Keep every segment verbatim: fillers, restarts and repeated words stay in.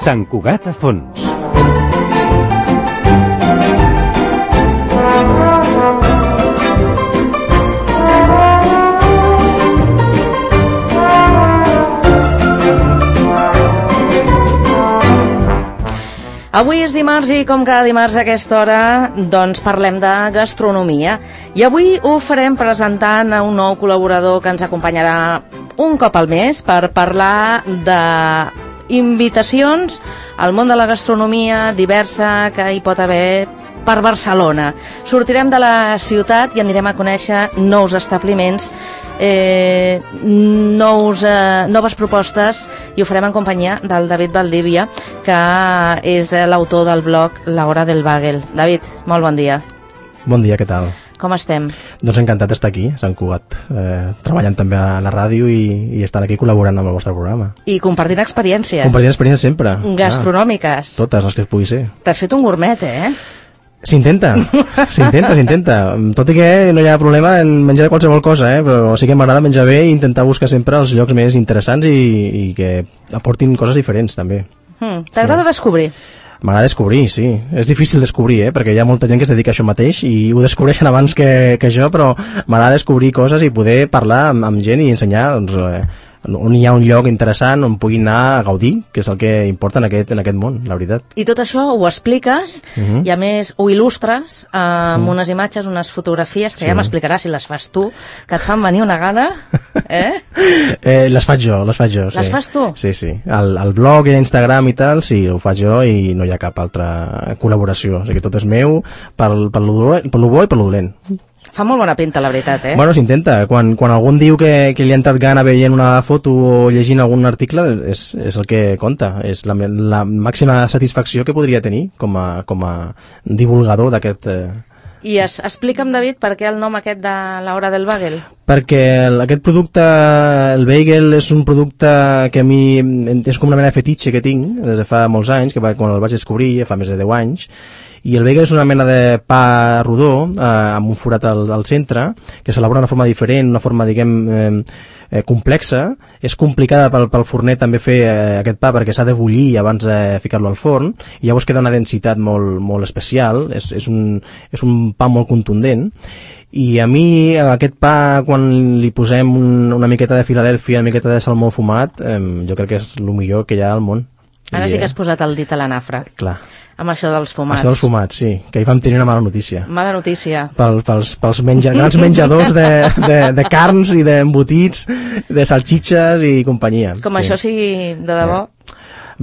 Sant Cugat a fons. Avui és dimarts i com cada dimarts a aquesta hora doncs parlem de gastronomia i avui ho farem presentant a un nou col·laborador que ens acompanyarà un cop al mes per parlar de invitacions al món de la gastronomia diversa que hi pot haver per Barcelona. Sortirem de la ciutat i anirem a conèixer nous establiments, eh, nous, eh, noves propostes, i ho farem en companyia del David Valdivia, que és l'autor del blog La Hora del Bagel. David, molt bon dia. Bon dia, què tal? Com estem? Doncs encantat d'estar aquí, a Sant Cugat, eh, treballant també a la ràdio i, i estant aquí col·laborant amb el vostre programa. I compartint experiències. Compartint experiències sempre. Gastronòmiques. Ah, totes les que es pugui ser. T'has fet un gourmet, eh? S'intenta, s'intenta, s'intenta. Tot i que no hi ha problema en menjar de qualsevol cosa, eh? Però sí que m'agrada menjar bé i intentar buscar sempre els llocs més interessants i, i que aportin coses diferents, també. Mm, T'agrada sí. descobrir? M'agrada descobrir, sí. És difícil descobrir, eh? Perquè hi ha molta gent que es dedica a això mateix i ho descobreixen abans que, que jo, però m'agrada descobrir coses i poder parlar amb, amb gent i ensenyar, doncs, eh, on hi ha un lloc interessant on puguin anar a gaudir, que és el que importa en aquest, en aquest món, la veritat. I tot això ho expliques uh -huh. i a més ho il·lustres eh, amb uh -huh. unes imatges, unes fotografies que sí. ja m'explicaràs si les fas tu, que et fan venir una gana, eh? eh les faig jo, les faig jo, sí. Les fas tu? Sí, sí. El, el blog i l'Instagram i tal, sí, ho faig jo i no hi ha cap altra col·laboració, o sigui que tot és meu per, per, lo, per lo bo i per lo dolent. Fa molt bona pinta, la veritat, eh? Bueno, s'intenta. Quan, quan algú diu que, que li ha entrat gana veient una foto o llegint algun article, és, és el que compta. És la, la màxima satisfacció que podria tenir com a, com a divulgador d'aquest... Eh... I es, explica'm, David, per què el nom aquest de La Hora del Bagel? Perquè el, aquest producte, el bagel, és un producte que a mi és com una mena de fetitxe que tinc des de fa molts anys, que va, quan el vaig descobrir, fa més de deu anys, i el bagel és una mena de pa rodó eh, amb un forat al, al centre que s'elabora d'una forma diferent, una forma, diguem, eh, eh, complexa. És complicada pel, pel forner també fer eh, aquest pa perquè s'ha de bullir abans de ficar-lo al forn i llavors queda una densitat molt, molt especial. És, és, un, és un pa molt contundent. I a mi aquest pa, quan li posem un, una miqueta de Filadèlfia, una miqueta de salmó fumat, eh, jo crec que és el millor que hi ha al món. Ara I, sí que has posat el dit a la nafra. Clar. Amb això dels fumats. Això dels fumats, sí, que hi vam tenir una mala notícia. Mala notícia. Pel, pels pels menja, grans menjadors de, de, de carns i d'embotits, de salxitxes i companyia. Com sí. això sigui de debò? Eh.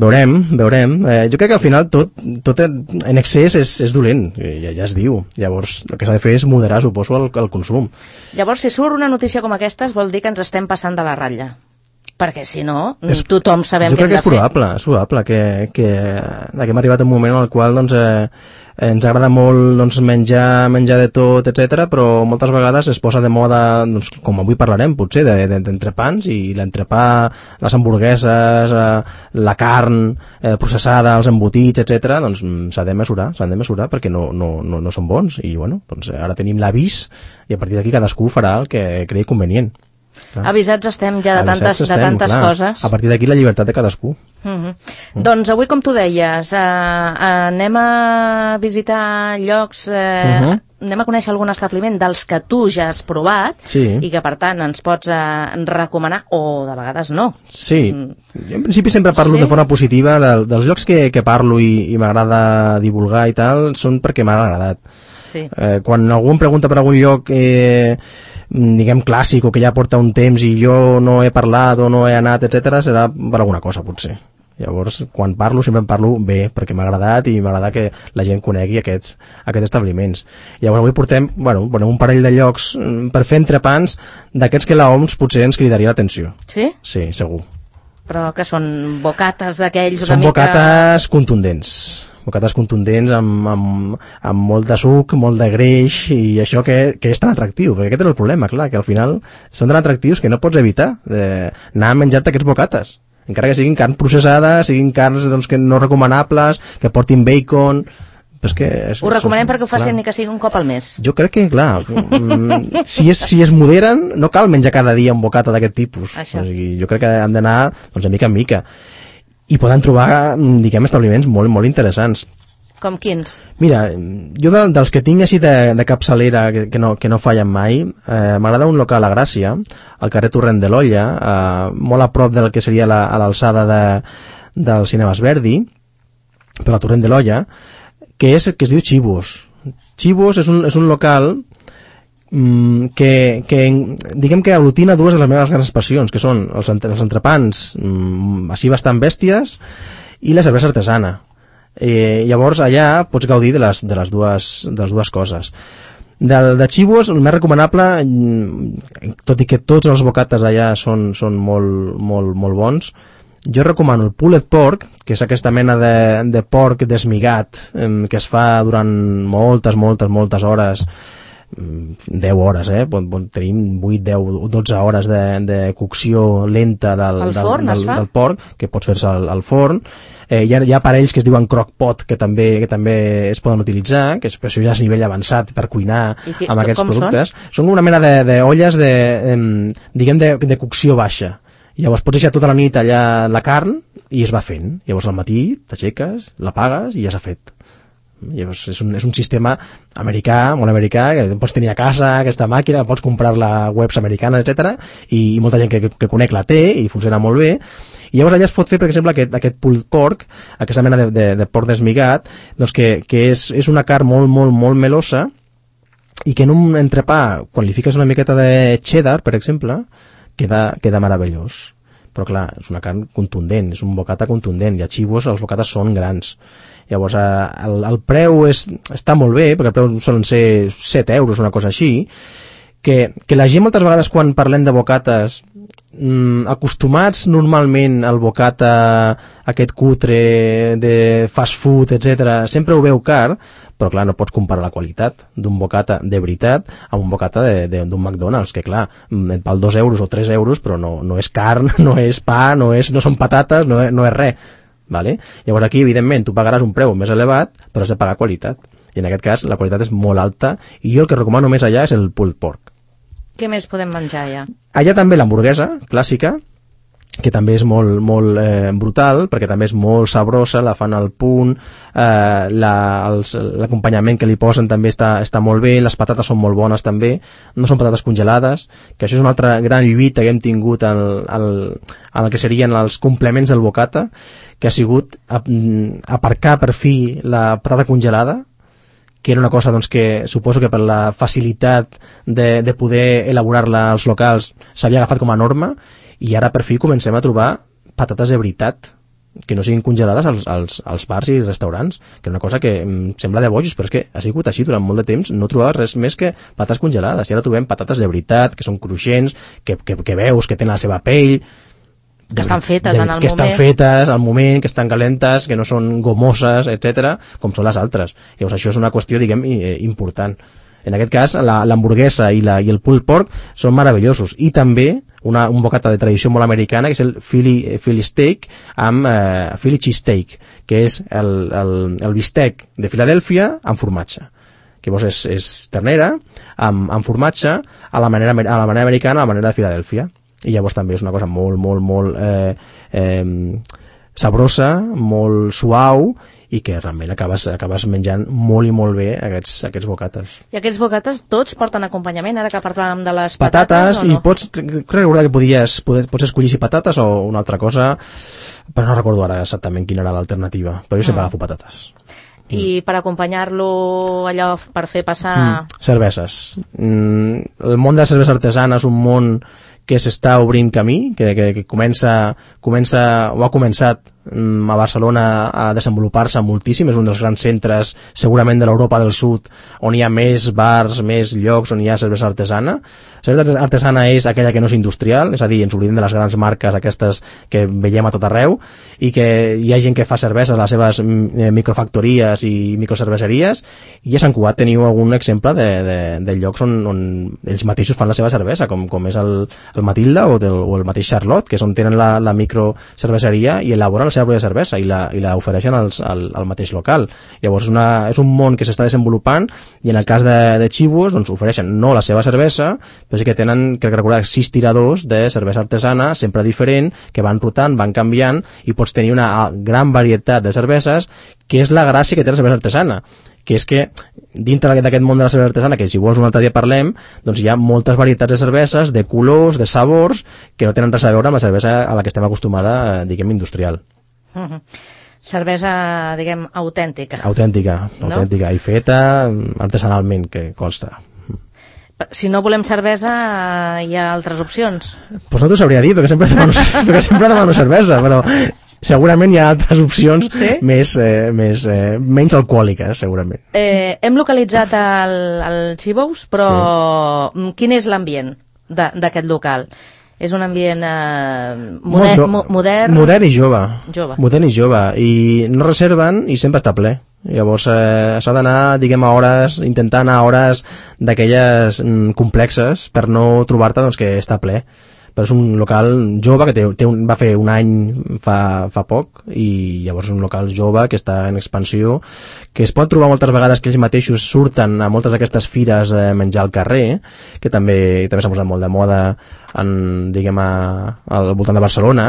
Veurem, veurem. Eh, jo crec que al final tot, tot en excés és, és dolent, ja, ja es diu. Llavors, el que s'ha de fer és moderar, suposo, el, el consum. Llavors, si surt una notícia com aquesta, vol dir que ens estem passant de la ratlla. Perquè si no, és, tothom sabem què hem de fer. Jo crec que és probable, és probable que, que, que hem arribat a un moment en el qual doncs, eh, ens agrada molt doncs, menjar, menjar de tot, etcètera, però moltes vegades es posa de moda, doncs, com avui parlarem, potser, d'entrepans, i l'entrepà, les hamburgueses, eh, la carn eh, processada, els embotits, etcètera, doncs s'ha de mesurar, s'han de mesurar perquè no, no, no, no són bons. I bueno, doncs, ara tenim l'avís i a partir d'aquí cadascú farà el que cregui convenient. Clar. Avisats estem ja de tantes, estem, de tantes clar. coses. A partir d'aquí la llibertat de cadascú. Uh -huh. mm. Doncs avui, com tu deies, eh, anem a visitar llocs, eh, uh -huh. anem a conèixer algun establiment dels que tu ja has provat, sí. i que per tant ens pots eh, recomanar, o de vegades no. Sí, mm. jo en principi sempre parlo sí? de forma positiva de, dels llocs que, que parlo i, i m'agrada divulgar i tal, són perquè m'ha agradat. Sí. Eh, quan algú em pregunta per algun lloc eh, diguem clàssic o que ja porta un temps i jo no he parlat o no he anat, etcètera, serà per alguna cosa potser. Llavors, quan parlo, sempre em parlo bé, perquè m'ha agradat i m'agrada que la gent conegui aquests, aquests establiments. Llavors avui portem, bueno, bueno, un parell de llocs per fer entrepans d'aquests que l'O M S potser ens cridaria l'atenció. Sí? Sí, segur. Però que són bocates d'aquells una Són mica... bocates contundents. bocates contundents amb, amb, amb molt de suc, molt de greix i això que, que és tan atractiu, perquè aquest és el problema, clar, que al final són tan atractius que no pots evitar eh, anar a menjar-te aquests bocates, encara que siguin carn processada, siguin carns doncs, que no recomanables, que portin bacon. És que és, ho recomanem són, perquè ho facin clar. ni que sigui un cop al mes. Jo crec que, clar, si es, si es moderen, no cal menjar cada dia un bocata d'aquest tipus. O sigui, jo crec que han d'anar doncs, de mica en mica. i poden trobar, diguem, establiments molt, molt interessants. Com quins? Mira, jo de, dels que tinc així de, de capçalera que, que, no, que no fallen mai, eh, m'agrada un local a Gràcia, al carrer Torrent de l'Olla, eh, molt a prop del que seria la, a l'alçada de, del Cinemes Verdi, per al Torrent de l'Olla, que, és, que es diu Chivos. Chivos és un, és un local mm, que, que diguem que aglutina dues de les meves grans passions, que són els, entre, els entrepans mm, així bastant bèsties i la cervesa artesana. Eh, llavors allà pots gaudir de les, de les, dues, de les dues coses. De, de Chivos, el més recomanable, tot i que tots els bocates allà són, són molt, molt, molt bons, jo recomano el pulled pork, que és aquesta mena de, de porc desmigat eh, que es fa durant moltes, moltes, moltes hores, deu hores, eh? Tenim vuit, deu, dotze hores de, de cocció lenta del, del, forn, del, del, del porc, que pots fer-se al, al forn. Eh, hi, ha, hi ha aparells que es diuen crock-pot que també, que també es poden utilitzar, que és, per això ja és nivell avançat per cuinar que, amb aquests productes. Són? Són una mena d'olles de, de, de, diguem, de, de cocció baixa. Llavors pots deixar tota la nit allà la carn i es va fent. Llavors al matí t'aixeques, l'apagues i ja s'ha fet. Llavors és un, és un sistema americà, molt americà, que pots tenir a casa aquesta màquina, pots comprar-la a webs americanes, etcètera, i, i molta gent que, que, que conec la té i funciona molt bé. I llavors allà es pot fer, per exemple, aquest, aquest pulled pork, aquesta mena de, de, de porc desmigat, doncs que, que és, és una carn molt, molt, molt melosa i que en un entrepà, quan li fiques una miqueta de cheddar, per exemple, queda, queda meravellós. Però clar, és una carn contundent, és un bocata contundent, i a Chivos els bocates són grans. Llavors el, el preu és, està molt bé, perquè el preu solen ser set euros, una cosa així, que, que la gent moltes vegades quan parlem de bocates, mmm, acostumats normalment al bocata aquest cutre de fast food, etcètera, sempre ho veu car, però clar, no pots comparar la qualitat d'un bocata de veritat amb un bocata d'un McDonald's, que clar, et val dos euros o tres euros, però no, no és carn, no és pa, no, és, no són patates, no, no és res. Vale? Llavors aquí, evidentment, tu pagaràs un preu més elevat, però has de pagar qualitat. I en aquest cas, la qualitat és molt alta, i jo el que recomano més allà és el pulled pork. Què més podem menjar allà? Allà també l'hamburguesa clàssica, que també és molt, molt eh, brutal, perquè també és molt sabrosa, la fan al punt, eh, l'acompanyament que li posen també està, està molt bé, les patates són molt bones també, no són patates congelades, que això és una altra gran lluita que hem tingut en el, el que serien els complements del bocata, que ha sigut aparcar per fi la patata congelada, que era una cosa doncs, que suposo que per la facilitat de, de poder elaborar-la als locals s'havia agafat com a norma, i ara per fi comencem a trobar patates de veritat que no siguin congelades als, als, als bars i restaurants, que és una cosa que em sembla de bojos, però és que ha sigut així durant molt de temps, no trobaves res més que patates congelades, i ara trobem patates de veritat, que són cruixents, que, que, que veus que tenen la seva pell, que estan fetes de, en el que moment. estan fetes al moment, que estan calentes, que no són gomoses, etcètera, com són les altres. Llavors això és una qüestió, diguem, important. En aquest cas, l'hamburguesa i, la, i el pulled pork són meravellosos. I també una, un bocata de tradició molt americana, que és el Philly, Philly steak amb eh, Philly cheese steak, que és el, el, el bistec de Filadèlfia amb formatge. Que llavors és, és ternera amb, amb formatge a la, manera, a la manera americana, a la manera de Filadèlfia. I llavors també és una cosa molt, molt, molt eh, eh, sabrosa, molt suau, i que realment acabes, acabes menjant molt i molt bé aquests, aquests bocates. I aquests bocates tots porten acompanyament, ara que parlàvem de les patates, patates o no? I pots, crec recordar que podies, pots escollir si patates o una altra cosa, però no recordo ara exactament quina era l'alternativa, però jo sempre mm. agafo patates. I mm. per acompanyar-lo allò, per fer passar... Mm. Cerveses. Mm. El món de la cervesa artesana és un món que s'està obrint camí, que, que, que comença, comença, o ha començat mm, a Barcelona a desenvolupar-se moltíssim, és un dels grans centres segurament de l'Europa del Sud on hi ha més bars, més llocs on hi ha cervesa artesana. La cervesa artesana és aquella que no és industrial, és a dir, ens oblidem de les grans marques aquestes que veiem a tot arreu, i que hi ha gent que fa cerveses a les seves eh, microfactories i microcerveseries, i a Sant Cugat teniu algun exemple de, de, de llocs on, on ells mateixos fan la seva cervesa, com, com és el el Matilda o, del, o el mateix Charlotte, que és on tenen la, la microcerveseria i elaboren seva pròpia cervesa i la, i la ofereixen als, al, al mateix local. Llavors és, una, és un món que s'està desenvolupant i en el cas de, de Chivos doncs, ofereixen no la seva cervesa, però sí que tenen, crec que recordar, sis tiradors de cervesa artesana, sempre diferent, que van rotant, van canviant i pots tenir una gran varietat de cerveses, que és la gràcia que té la cervesa artesana, que és que dintre d'aquest món de la cervesa artesana, que si vols un altre dia parlem, doncs hi ha moltes varietats de cerveses, de colors, de sabors, que no tenen res a veure amb la cervesa a la que estem acostumada, diguem, industrial. Uh -huh. Cervesa, diguem, autèntica. Autèntica, no? autèntica, i feta artesanalment, que consta. Si no volem cervesa, hi ha altres opcions? Doncs pues no t'ho sabria dir, perquè sempre demano, perquè sempre demano cervesa, però segurament hi ha altres opcions, sí? més, eh, més, eh, menys alcohòliques, segurament. Eh, hem localitzat el, el Chivos, però sí. Quin és l'ambient d'aquest local? És un ambient eh, moder, jo, mo, modern... Modern i jove. jove. Modern i jove. I no reserven i sempre està ple. Llavors eh, s'ha d'anar, diguem, a hores, intentar anar a hores d'aquelles mm, complexes per no trobar-te doncs, que està ple. Però és un local jove que té, té un, va fer un any fa, fa poc i llavors és un local jove que està en expansió, que es pot trobar moltes vegades que ells mateixos surten a moltes d'aquestes fires de menjar al carrer, que també també s'ha posat molt de moda en, diguem, a, al voltant de Barcelona,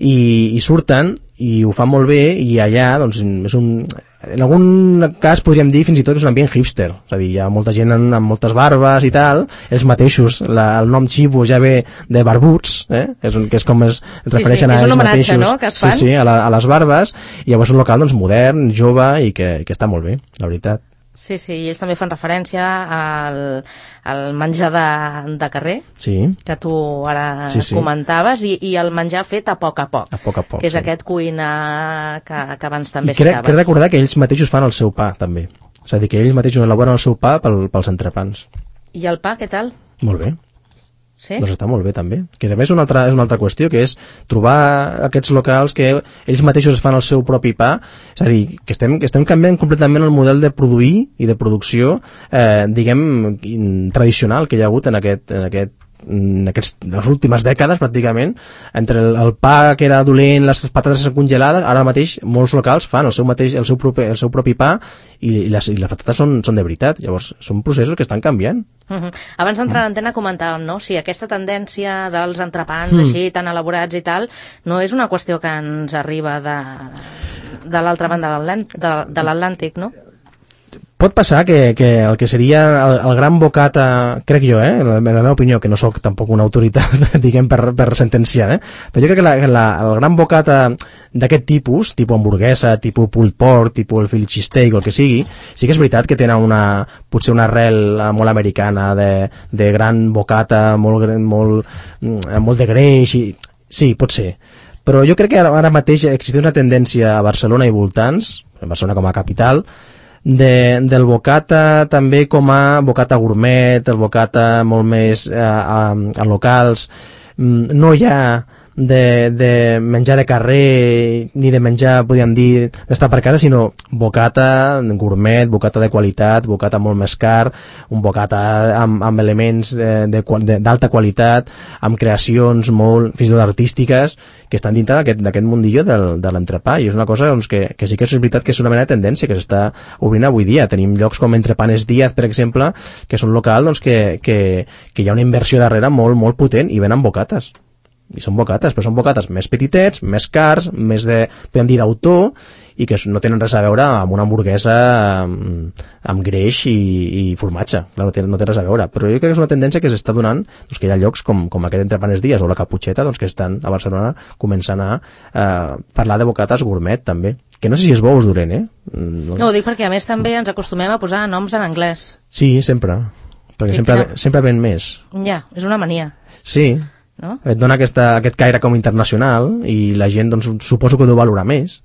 i, i surten i ho fan molt bé, i allà doncs, és un, en algun cas podríem dir fins i tot que és un ambient hipster, és a dir, hi ha molta gent amb, amb moltes barbes i tal, ells mateixos, la, el nom Chivo ja ve de barbuts, eh? és un, que és com es, es refereixen sí, sí, a ells mateixos, és un homenatge, no?, que es fan. Sí, sí, a, la, a les barbes, i llavors és un local doncs, modern, jove i que, que està molt bé, la veritat. Sí, sí, i ells també fan referència al, al menjar de, de carrer, sí. que tu ara sí, sí. comentaves, i, i el menjar fet a poc a poc, a poc, a poc que és sí. aquest cuinar que, que abans també I crec, citaves. crec recordar que ells mateixos fan el seu pa, també. És a dir, que ells mateixos elaboren el seu pa pel, pels entrepans. I el pa, què tal? Molt bé. Sí? Doncs està molt bé també, que a més és una altra, és una altra qüestió, que és trobar aquests locals que ells mateixos fan el seu propi pa, és a dir, que estem, que estem canviant completament el model de produir i de producció eh, diguem tradicional que hi ha hagut en aquest, en aquest en aquests, les últimes dècades pràcticament, entre el, el pa que era dolent, les patates congelades, ara mateix molts locals fan el seu, mateix, el seu, propi, el seu propi pa i, i, les, i les patates són, són de veritat. Llavors són processos que estan canviant. Uh -huh. Abans d'entrar en antena comentàvem, no?, si aquesta tendència dels entrepans mm. així tan elaborats i tal, no és una qüestió que ens arriba de, de l'altra banda de l'Atlàntic, no? Pot passar que, que el que seria el, el gran bocata, crec jo, eh, en la, en la meva opinió, que no sóc tampoc una autoritat, diguem, per, per sentenciar, eh, però jo crec que la, la, el gran bocata d'aquest tipus, tipus hamburguesa, tipus pulled pork, tipus el Philly cheesesteak o el que sigui, sí que és veritat que tenen una, potser una arrel molt americana de, de gran bocata, molt, molt, molt de greix, i, sí, pot ser. Però jo crec que ara, ara mateix existeix una tendència a Barcelona i voltants, a Barcelona com a capital, De, del bocata també com a bocata gourmet, el bocata molt més eh, a, a locals. No hi ha de, de menjar de carrer ni de menjar, podríem dir, d'estar per casa, sinó bocata gourmet, bocata de qualitat, bocata molt més car, un bocata amb, amb elements d'alta qualitat, amb creacions molt, fins i tot artístiques, que estan dintre d'aquest mundillo del, de l'entrepà, i és una cosa doncs, que, que sí que és veritat que és una mena de tendència que s'està obrint avui dia. Tenim llocs com Entrepanes Díaz, per exemple, que són locals doncs, que, que, que hi ha una inversió darrere molt, molt potent i venen bocates. I són bocates, però són bocates més petitets, més cars, més de, podem dir, d'autor, i que no tenen res a veure amb una hamburguesa amb, amb greix i, i formatge. Clar, no, té, no té res a veure. Però jo crec que és una tendència que s'està donant, doncs, que hi ha llocs com, com aquest Entrepanes Díaz o la Caputxeta, doncs, que estan a Barcelona començant a eh, parlar de bocates gourmet, també. Que no sé si és bo o és dolent, eh? No, no ho dic perquè a més també ens acostumem a posar noms en anglès. Sí, sempre. Perquè sí, sempre, no. sempre ven més. Ja, és una mania. Sí. No? Et dona aquesta, aquest caire com internacional i la gent doncs, suposo que ho deu valorar més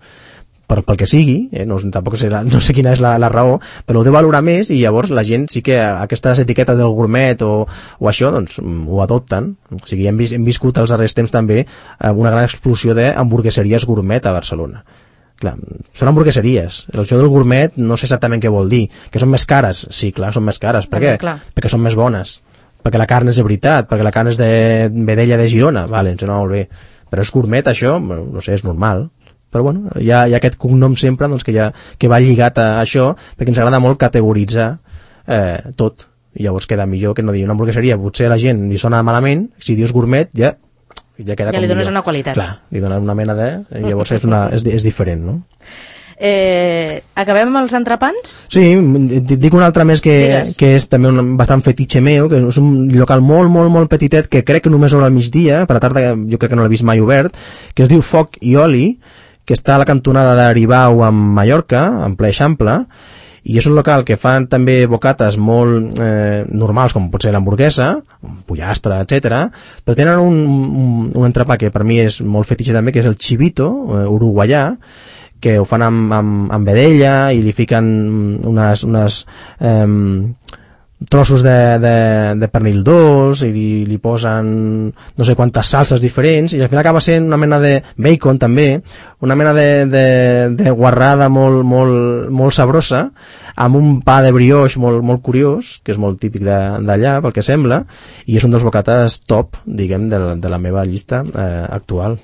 per, pel que sigui, eh? no, tampoc sé, la, no sé quina és la, la raó, però ho deu valorar més i llavors la gent sí que aquestes etiquetes del gourmet o, o això doncs ho adopten. O sigui, hem, vis, hem viscut als darrers temps també una gran explosió d'hamburgueseries gourmet a Barcelona. Clar, són hamburgueseries. El joc del gourmet no sé exactament què vol dir. Que són més cares? Sí, clar, són més cares. Per què? Perquè són més bones. Perquè la carn és de veritat, perquè la carn és de vedella de Girona, vale, ens sona molt bé. Però és gourmet, això, no sé, és normal. però bueno, hi ha, hi ha aquest cognom sempre doncs, que, ja, que va lligat a això, perquè ens agrada molt categoritzar eh, tot, i llavors queda millor que no dir una hamburgueseria, potser a la gent li sona malament, si dius gourmet ja ja, queda ja li dones millor. Una qualitat. Clar, li dones una mena de... llavors és, una, és, és diferent, no? Eh, acabem amb els entrepans? Sí, dic un altre més que, que és també un bastant fetitxe meu, que és un local molt, molt, molt petitet que crec que només obre al migdia, per la tarda jo crec que no l'he vist mai obert, que es diu Foc i Oli, que està a la cantonada d'Aribau amb Mallorca, en ple Eixample, i és un local que fan també bocates molt eh, normals, com pot ser l'hamburguesa, pollastre, etcètera, però tenen un, un, un entrepà que per mi és molt fetitxe també, que és el chivito, eh, uruguaià, que ho fan amb, amb, amb vedella i li fiquen unes, unes eh, trossos de, de, de pernil dolç i li, li posen no sé quantes salses diferents i al final acaba sent una mena de bacon també, una mena de, de, de guarrada molt, molt, molt sabrosa amb un pa de brioix molt, molt curiós, que és molt típic d'allà pel que sembla, i és un dels bocates top, diguem, de, de la meva llista eh, actual.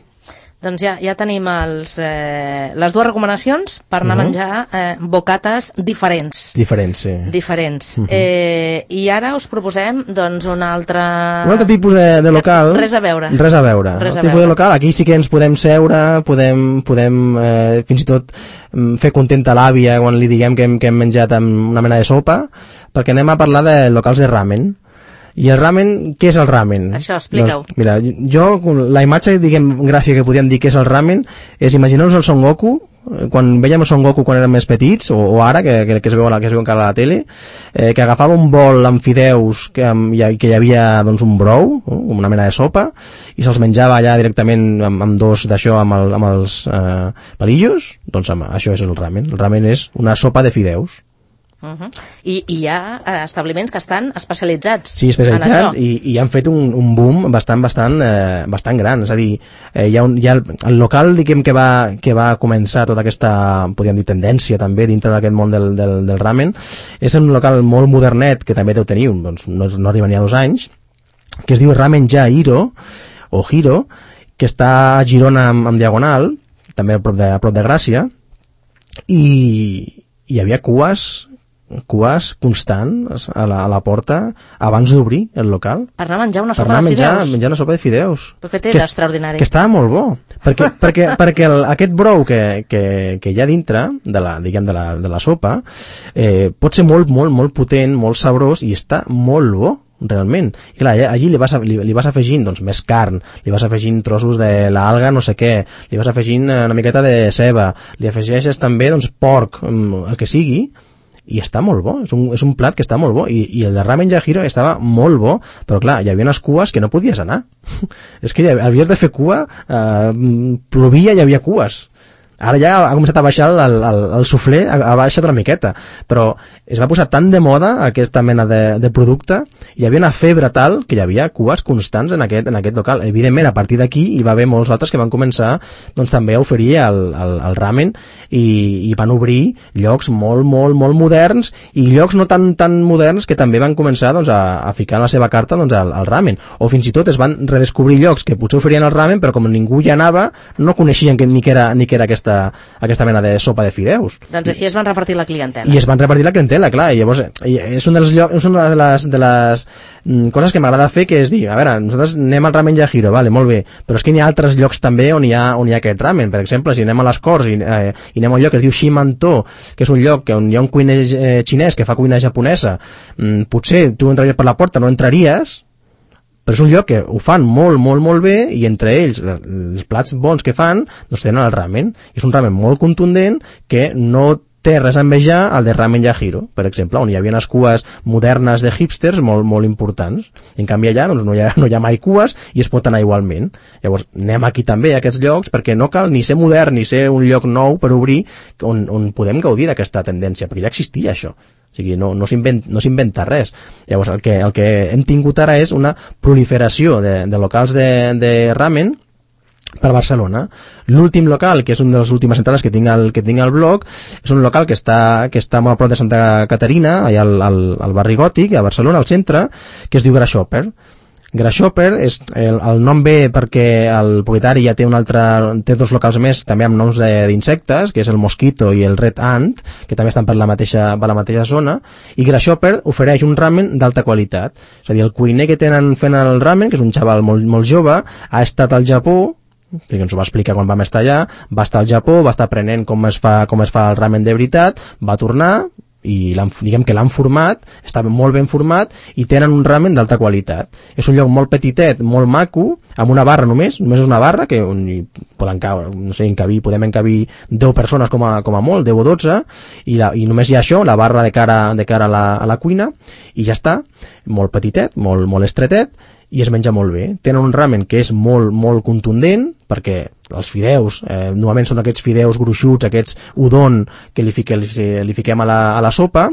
Doncs ja, ja tenim els, eh, les dues recomanacions per anar uh -huh. a menjar eh, bocates diferents. Diferents, sí. Diferents. Uh -huh. eh, I ara us proposem doncs, un altre... Un altre tipus de, de local. Res a veure. Res a veure. Res El a tipus veure. de local, aquí sí que ens podem seure, podem, podem eh, fins i tot fer contenta l'àvia quan li diguem que hem, que hem menjat amb una mena de sopa, perquè anem a parlar de locals de ramen. I el ramen, què és el ramen? Això, explica-ho. Doncs, mira, jo, la imatge, diguem, gràfica que podíem dir que és el ramen, és imaginar-nos el Son Goku, quan veiem el Son Goku quan érem més petits, o, o ara, que, que, que, es veu, que es veu encara a la tele, eh, que agafava un bol amb fideus, que, amb, que hi havia doncs, un brou, una mena de sopa, i se'ls menjava allà directament amb, amb dos d'això, amb, el, amb els eh, palillos, doncs amb, això és el ramen. El ramen és una sopa de fideus. Uh -huh. I, I hi ha establiments que estan especialitzats. Sí, especialitzats i, i han fet un, un boom bastant, bastant, eh, bastant gran. És a dir, eh, hi ha, un, hi ha el, el local diguem, que, va, que va començar tota aquesta, podríem dir, tendència també dintre d'aquest món del, del, del ramen. És un local molt modernet que també deu tenir, doncs, no, no arriba ni a dos anys, que es diu Ramen Ja Hiro, o Hiro, que està a Girona amb, amb Diagonal, també a prop de, a prop de Gràcia, i hi havia cues cues constants a la, a la porta abans d'obrir el local per anar a menjar una sopa per anar de menjar, fideus menjar una sopa de fideus però què té d'extraordinari? Que estava molt bo perquè, perquè, perquè el, aquest brou que, que, que hi ha dintre de la, diguem, de la, de la sopa eh, pot ser molt, molt, molt potent, molt sabrós i està molt bo realment, i clar, allí li vas, li, li vas afegint doncs, més carn, li vas afegint trossos de l'alga, no sé què, li vas afegint una miqueta de ceba, li afegeixes també doncs, porc, el que sigui, i està molt bo, és un, és un plat que està molt bo, i, i el de Ramen Ja Hiro estava molt bo, però clar, hi havia unes cues que no podies anar és que havies de fer cua, eh, plovia i hi havia cues. Ara ja ha començat a baixar el, el, el suflé, ha, ha baixat una miqueta, però es va posar tan de moda aquesta mena de, de producte, hi havia una febre tal que hi havia cues constants en aquest, en aquest local. Evidentment, a partir d'aquí hi va haver molts altres que van començar doncs, també a oferir el, el, el ramen i, i van obrir llocs molt, molt, molt moderns i llocs no tan, tan moderns que també van començar doncs, a, a ficar en la seva carta doncs, el, el ramen, o fins i tot es van redescobrir llocs que potser oferien el ramen però com ningú hi anava no coneixien que, ni, que era, ni que era aquesta aquesta mena de sopa de fideus. Doncs així es van repartir la clientela. I es van repartir la clientela, clar, i llavors és, un dels llocs, és una de les, de les mm, coses que m'agrada fer, que és dir, a veure, nosaltres anem al Ramen Ja Hiro, vale, molt bé, però és que hi ha altres llocs també on hi ha, on hi ha aquest ramen. Per exemple, si anem a les Corts i, eh, i anem a un lloc que es diu Shimanto, que és un lloc on hi ha un cuiner eh, xinès que fa cuina japonesa, mm, potser tu entraries per la porta, no entraries, però és un lloc que ho fan molt, molt, molt bé i entre ells, els plats bons que fan doncs tenen el ramen, i és un ramen molt contundent que no té res a envejar al de Ramen Ja Hiro, per exemple, on hi havia unes cues modernes de hipsters molt, molt importants, i en canvi allà doncs, no, hi ha, no hi ha mai cues i es pot anar igualment. Llavors anem aquí també a aquests llocs perquè no cal ni ser modern ni ser un lloc nou per obrir on, on podem gaudir d'aquesta tendència, perquè ja existia això. O sigui, no, no s'inventa res. Llavors, el que, el que hem tingut ara és una proliferació de, de locals de, de ramen per Barcelona. L'últim local, que és una de les últimes entrades que tinc al, que tinc al blog, és un local que està, que està molt a prop de Santa Caterina, allà al, al, al barri Gòtic, a Barcelona, al centre, que es diu Grasshopper. Grasshopper, és, el, el nom ve perquè el propietari ja té un altre, té dos locals més també amb noms d'insectes, que és el Mosquito i el Red Ant, que també estan per la mateixa, per la mateixa zona, i Grasshopper ofereix un ramen d'alta qualitat. És a dir, el cuiner que tenen fent el ramen, que és un xaval molt, molt jove, ha estat al Japó, que ens ho va explicar quan vam estar allà, va estar al Japó, va estar aprenent com es fa, com es fa el ramen de veritat, va tornar, i diguem que l'han format, està molt ben format i tenen un ramen d'alta qualitat. És un lloc molt petitet, molt maco, amb una barra només, només és una barra que on hi poden caure, no sé, encabir, podem encabir deu persones com a, com a molt, deu o dotze, i, la, i només hi ha això, la barra de cara, de cara a, la, a la cuina, i ja està, molt petitet, molt, molt estretet, i es menja molt bé. Tenen un ramen que és molt, molt contundent, perquè els fideus, eh, normalment són aquests fideus gruixuts, aquests udon que li, fique, li, li fiquem a la, a la sopa,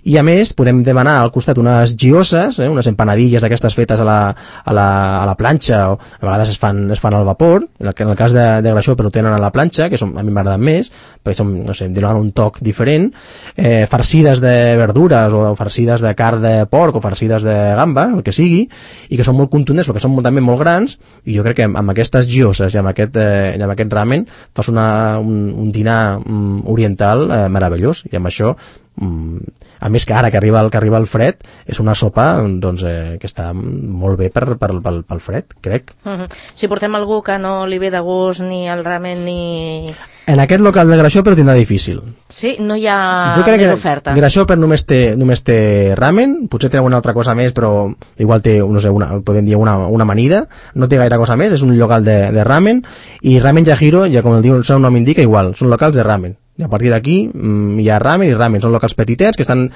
i a més podem demanar al costat unes gyozas, eh, unes empanadilles d'aquestes fetes a la, a la, a la planxa, o a vegades es fan, es fan al vapor, en el, en el cas de, de Grasshopper ho tenen a la planxa, que són, a mi m'agraden més, perquè són, no sé, donen un toc diferent, eh, farcides de verdures, o farcides de carn de porc, o farcides de gamba, el que sigui, i que són molt contundents, perquè són també molt grans, i jo crec que amb aquestes gyozas i amb aquest, eh, amb aquest ramen fas una, un, un dinar um, oriental eh, meravellós, i amb això um, a més que ara que arriba, el, que arriba el fred és una sopa doncs, eh, que està molt bé per, per, pel, pel fred, crec. Uh-huh. Si portem algú que no li ve de gust ni el ramen ni... En aquest local de Grasshopper tindrà difícil. Sí, no hi ha jo crec més que oferta. Grasshopper només té, només té ramen, potser té alguna altra cosa més, però igual té, no sé, una, podem dir una, una amanida, no té gaire cosa més, és un local de, de ramen, i Ramen Yahiro, ja com el diu el seu nom indica, igual, són locals de ramen. I a partir d'aquí mm, hi ha ramen i ramen, són locals petitets que estan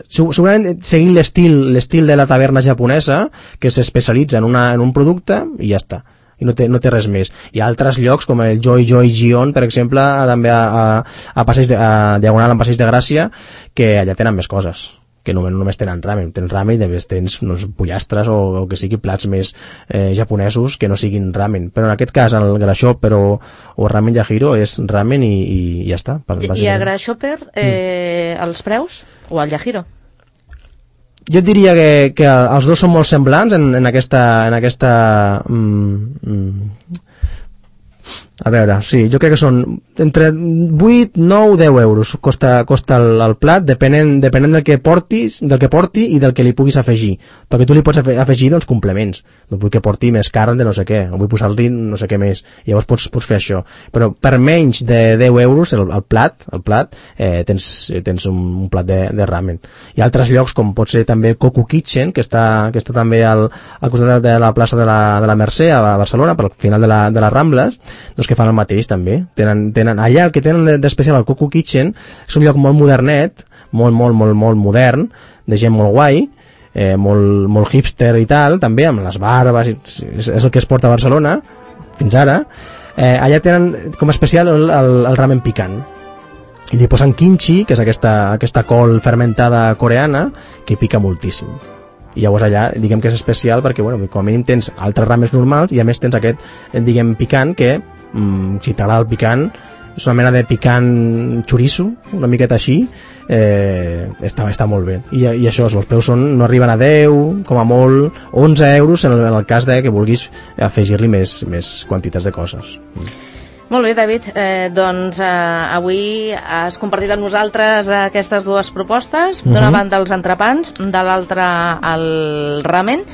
segurament seguint l'estil l'estil de la taverna japonesa, que s'especialitza en, una, en un producte i ja està, i no té, no té res més. Hi ha altres llocs com el Joy Joy Gion, per exemple, també a, a, a, passeig de, a Diagonal en Passeig de Gràcia, que allà tenen més coses, que només, només tenen ramen, tens ramen i després tens no sé, pollastres o, o que sigui plats més eh, japonesos que no siguin ramen, però en aquest cas el Grasshopper o, o Ramen Yahiro és ramen i, i ja està. I a Grasshopper eh, mm. els preus o al Yahiro? Jo et diria que, que els dos són molt semblants en, en aquesta, en aquesta mm, mm, a veure, sí, jo crec que són entre vuit, nou, deu euros costa, costa el, el plat, depenent, depenent del que portis, del que porti i del que li puguis afegir, perquè tu li pots afegir doncs complements, no vull que porti més carn de no sé què, o vull posar-li no sé què més, llavors pots, pots fer això, però per menys de deu euros el, el plat, el plat eh, tens, tens un, un plat de, de ramen. Hi ha altres llocs com pot ser també Coco Kitchen, que està, que està també al, al costat de la plaça de la, de la Mercè a Barcelona, per al final de, la, de les Rambles, doncs que fan el mateix també, tenen, tenen allà el que tenen d'especial al Coco Kitchen és un lloc molt modernet, molt, molt, molt, molt modern, de gent molt guai, eh, molt, molt hipster i tal, també amb les barbes, és, és el que es porta a Barcelona fins ara. Eh, allà tenen com a especial el, el, el ramen picant, i li posen kimchi, que és aquesta, aquesta col fermentada coreana que pica moltíssim, i llavors allà diguem que és especial perquè bueno, com a mínim tens altres rames normals i a més tens aquest diguem picant que mm, si t'agrada el picant és una mena de picant xoriço, una miqueta així, eh, està, està molt bé. I, i això, els preus són, no arriben a deu, com a molt, onze euros en el, en el cas de que vulguis afegir-li més, més quantitats de coses. Mm. Molt bé, David, eh, doncs eh, avui has compartit amb nosaltres aquestes dues propostes, d'una uh-huh. banda els entrepans, de l'altra el ramen.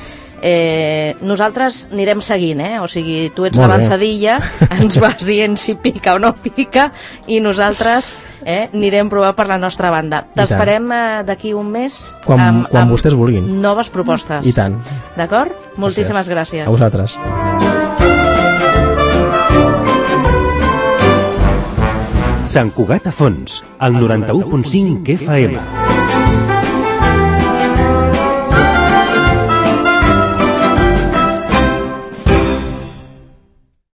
Eh, nosaltres anirem seguint, eh? O sigui, tu ets l'avançadilla, ens vas dient si pica o no pica, i nosaltres eh, anirem provant per la nostra banda. T'esperem eh, d'aquí un mes quan, amb, quan amb vostès vulguin. Noves propostes. I tant. D'acord? Moltíssimes gràcies. A vosaltres. Sant Cugat a Fons, al noranta-u punt cinc F M.